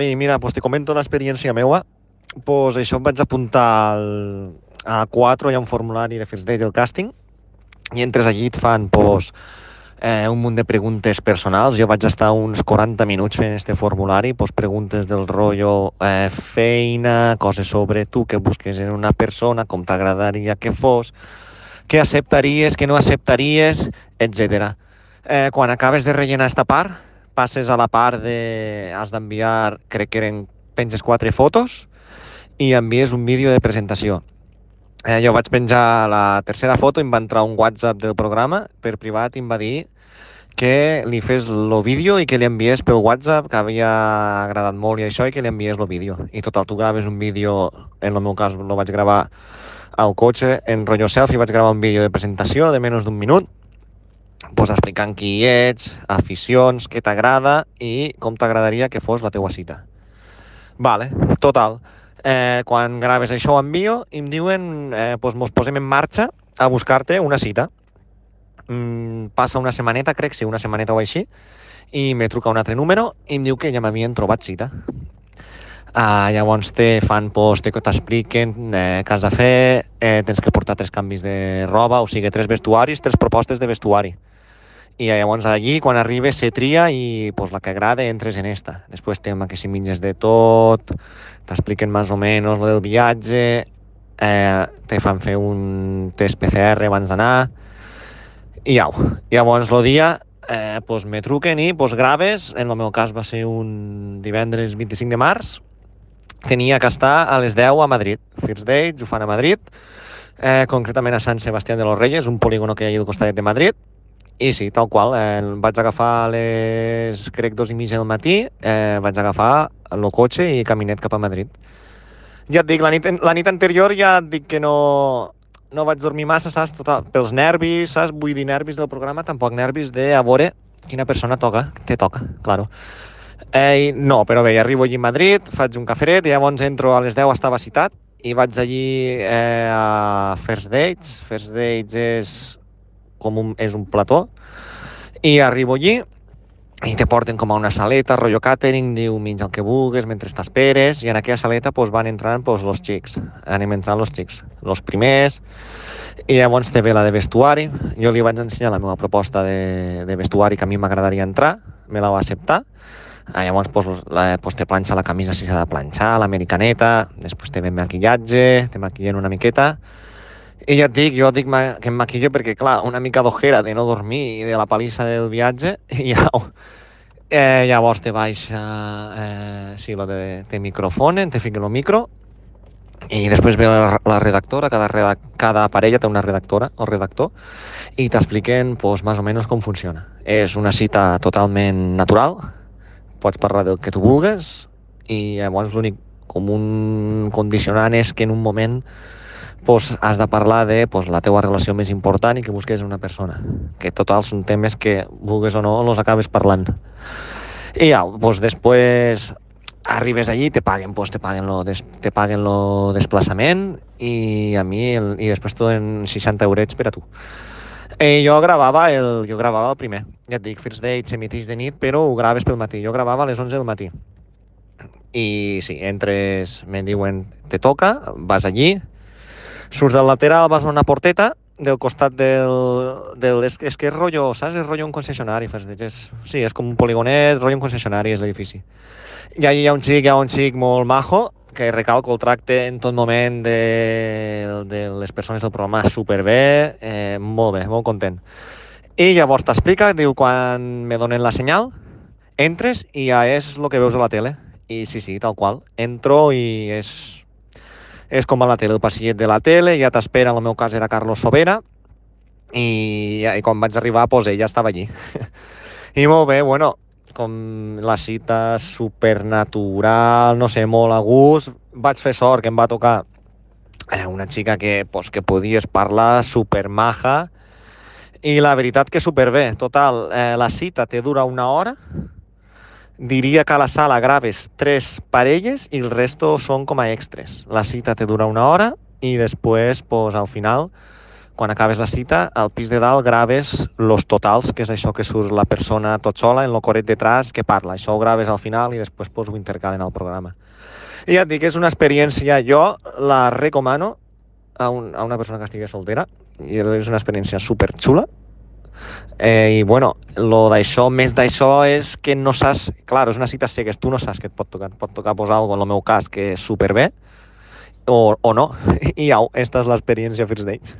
I mira, pues te comento l'experiència meva. Pues això em vaig apuntar a 4, hi ha un formulari de First Date del càsting, i entres allí, et fan un munt de preguntes personals. Jo vaig estar uns 40 minuts fent este formulari, preguntes del rotllo feina, coses sobre tu que busques en una persona, com t'agradaria que fos, què acceptaries, què no acceptaries, etc. Quan acabes de rellenar esta part, passes a la part de... has d'enviar, crec que penges 4 fotos i envies un vídeo de presentació. Jo vaig penjar la tercera foto i em va entrar un WhatsApp del programa per privat i em va dir que li fes el vídeo i que li enviés pel WhatsApp, que havia agradat molt i això, i que li enviés el vídeo. I total, tu graves un vídeo, en el meu cas lo vaig gravar al cotxe en rotllo selfie, vaig gravar un vídeo de presentació de menys d'un minut, explicant qui ets, aficions, què t'agrada i com t'agradaria que fos la teua cita. Vale, total. Quan graves això ho envio i em diuen, mos posem en marxa a buscar-te una cita. Passa una setmaneta, crec, sí, una setmaneta o així, i me truca un altre número i em diu que ja m'havien trobat cita. Llavors t'expliquen què has de fer, tens que portar 3 canvis de roba, o sigui, 3 vestuaris, 3 propostes de vestuari. I llavors allí, quan arribes, se tria i la que agrada entres en esta. Després tema que si menges de tot, t'expliquen més o menys el del viatge, te fan fer un test PCR abans d'anar, i au. Llavors el dia me truquen i graves, en el meu cas va ser un divendres 25 de març, tenia que estar a les 10 a Madrid. First Dates ho fan a Madrid, concretament a Sant Sebastián de los Reyes, un polígono que hi ha al costat de Madrid. I sí, tal qual, vaig agafar a les, crec, 2:30 del matí, vaig agafar el cotxe i caminet cap a Madrid. Ja et dic, la nit anterior ja et dic que no vaig dormir massa, saps? Pels nervis, saps? Vull dir, nervis del programa, tampoc nervis de a veure quina persona te toca, claro. No, però bé, arribo allí a Madrid, faig un cafret i llavors entro a les 10, estava citat, i vaig allí a First Dates. First Dates és un plató, i arribo allí i te porten com a una saleta, rotllo catering, diu menja el que vulguis mentre t'esperes, i en aquella saleta van entrant los xics, anem entrant los xics, los primers, i llavors te ve la de vestuari. Jo li vaig ensenyar la meva proposta de vestuari que a mi m'agradaria entrar, me la va acceptar. Llavors te planxa la camisa si s'ha de planxar, l'americaneta, després te ve maquillatge, te maquillen una miqueta. I ja et dic, jo dic que em maquillo perquè, clar, una mica d'ojera de no dormir i de la palissa del viatge, i au. Llavors te baixa lo de te microfonen, te fiquen el micro, i després ve la redactora, cada parella té una redactora o redactor, i t'expliquen més o menys com funciona. És una cita totalment natural, pots parlar del que tu vulguis, i llavors l'únic com un condicionant és que en un moment has de parlar de la teua relació més important i que busques una persona. Que total són temes que, vulguis o no, els acabes parlant. I ja, després arribes allí, te paguen lo desplaçament i a mi i després t'ho donen 60 eurets per a tu. Jo gravava el primer. Ja et dic, First Date s'emiteix de nit, però ho graves pel matí. Jo gravava a les 11 del matí. I sí, entres, me diuen, te toca, vas allí, surts del lateral, vas a una porteta del costat és que és rotllo, saps? És rotllo un concessionari. Sí, és com un poligonet, rotllo un concessionari és l'edifici. I allà hi ha un xic molt majo, que recalco el tracte en tot moment de les persones del programa superbé, molt bé, molt content. I llavors t'explica, diu, quan me donen la senyal, entres i ja és el que veus a la tele. I sí, tal qual. Entro i és com a la tele, el passillet de la tele, ja t'espera, en el meu cas era Carlos Sobera, i quan vaig arribar, ella estava allí. I molt bé, bueno, com la cita supernatural, no sé, molt a gust. Vaig fer sort que em va tocar una xica que podies parlar, supermaja, i la veritat que superbé. Total, la cita te dura 1 hora, diria que a la sala graves 3 parelles i el resto són com a extras. La cita te dura 1 hora i després, al final, quan acabes la cita, al pis de dalt graves los totals, que és això que surt la persona tot sola en lo coret detrás que parla. Això ho graves al final i després pues, ho intercalen al programa. I ja et dic, és una experiència, jo la recomano a una persona que estigui soltera i és una experiència superxula. I bueno, més d'això és que no saps, clar, és una cita cegues, tu no saps què et pot tocar posar alguna cosa, en el meu cas, que és superbé, o no, i au, esta és l'experiència First Dates.